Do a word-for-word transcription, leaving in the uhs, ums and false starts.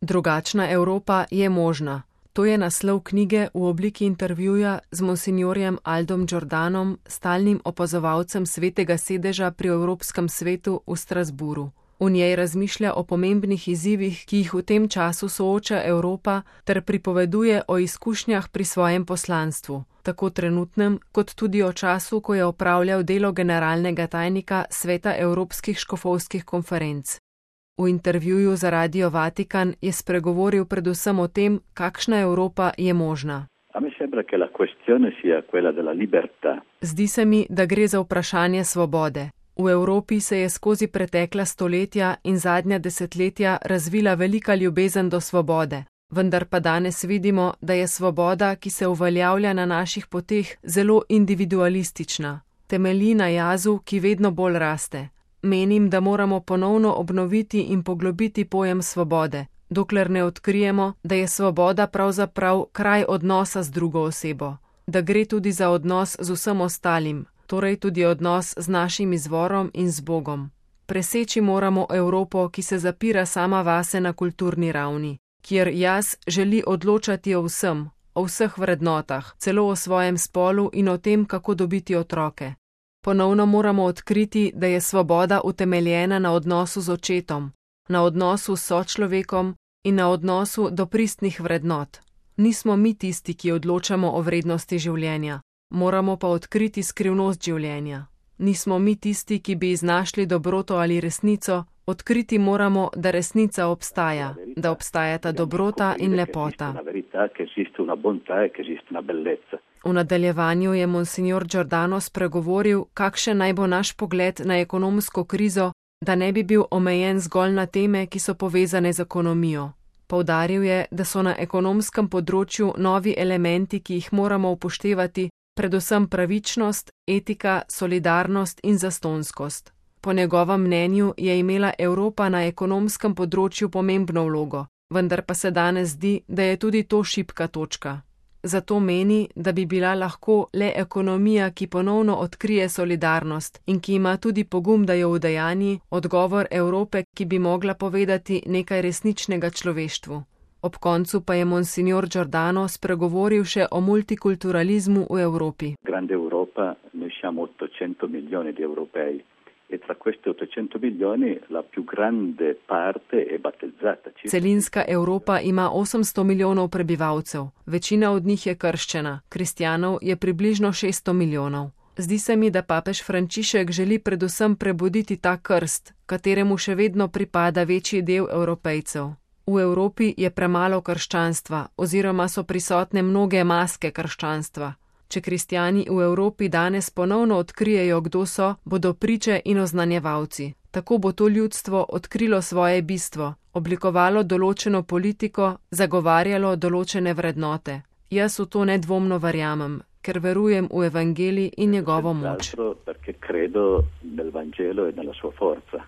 Drugačna Evropa je možna. To je naslov knjige v obliki intervjuja z monsinjorjem Aldom Giordanom, stalnim opazovalcem Svetega sedeža pri Evropskem svetu v Strasburu. V njej razmišlja o pomembnih izzivih, ki jih v tem času sooča Evropa, ter pripoveduje o izkušnjah pri svojem poslanstvu, tako trenutnem, kot tudi o času, ko je opravljal delo generalnega tajnika Sveta Evropskih škofovskih konferenc. V intervjuju za Radio Vatikan je spregovoril predvsem o tem, kakšna Evropa je možna. Zdi se mi, da gre za vprašanje svobode. V Evropi se je skozi pretekla stoletja in zadnja desetletja razvila velika ljubezen do svobode, vendar pa danes vidimo, da je svoboda, ki se uveljavlja na naših poteh, zelo individualistična. Temelji na jazu, ki vedno bolj raste. Menim, da moramo ponovno obnoviti in poglobiti pojem svobode, dokler ne odkrijemo, da je svoboda pravzaprav kraj odnosa z drugo osebo, da gre tudi za odnos z vsem ostalim, torej tudi odnos z našim izvorom in z Bogom. Preseči moramo Evropo, ki se zapira sama vase na kulturni ravni, kjer jaz želi odločati o vsem, o vseh vrednotah, celo o svojem spolu in o tem, kako dobiti otroke. Ponovno moramo odkriti, da je svoboda utemeljena na odnosu z očetom, na odnosu s sočlovekom in na odnosu do pristnih vrednot. Nismo mi tisti, ki odločamo o vrednosti življenja, moramo pa odkriti skrivnost življenja. Nismo mi tisti, ki bi iznašli dobroto ali resnico, odkriti moramo, da resnica obstaja, da obstajata dobrota in lepota. V nadaljevanju je monsinjor Giordano spregovoril, kakšen naj bo naš pogled na ekonomsko krizo, da ne bi bil omejen zgolj na teme, ki so povezane z ekonomijo. Poudaril je, da so na ekonomskem področju novi elementi, ki jih moramo upoštevati, predvsem pravičnost, etika, solidarnost in zastonskost. Po njegovem mnenju je imela Evropa na ekonomskem področju pomembno vlogo, vendar pa se danes zdi, da je tudi to šibka točka. Zato meni, da bi bila lahko le ekonomija, ki ponovno odkrije solidarnost in ki ima tudi pogum, da jo udejanji, odgovor Evrope, ki bi mogla povedati nekaj resničnega človeštvu. Ob koncu pa je monsinjor Giordano spregovoril še o multikulturalizmu v Evropi. Grande Europa, noi siamo ottocento milioni di europei. E tra questi ottocento milioni la più grande parte è battezzata. Celinska Evropa ima osemsto milijonov prebivalcev, večina od njih je krščena, kristjanov je približno šeststo milijonov. Zdi se mi, da papež Frančišek želi predvsem prebuditi ta krst, kateremu še vedno pripada večji del Evropejcev. V Evropi je premalo krščanstva oziroma so prisotne mnoge maske krščanstva. Če kristjani v Evropi danes ponovno odkrijejo, kdo so, bodo priče in oznanjevalci. Tako bo to ljudstvo odkrilo svoje bistvo, oblikovalo določeno politiko, zagovarjalo določene vrednote. Jaz v to nedvomno verjamem, ker verujem v evangelij in njegovo moč. Perché credo nel Vangelo e nella sua forza.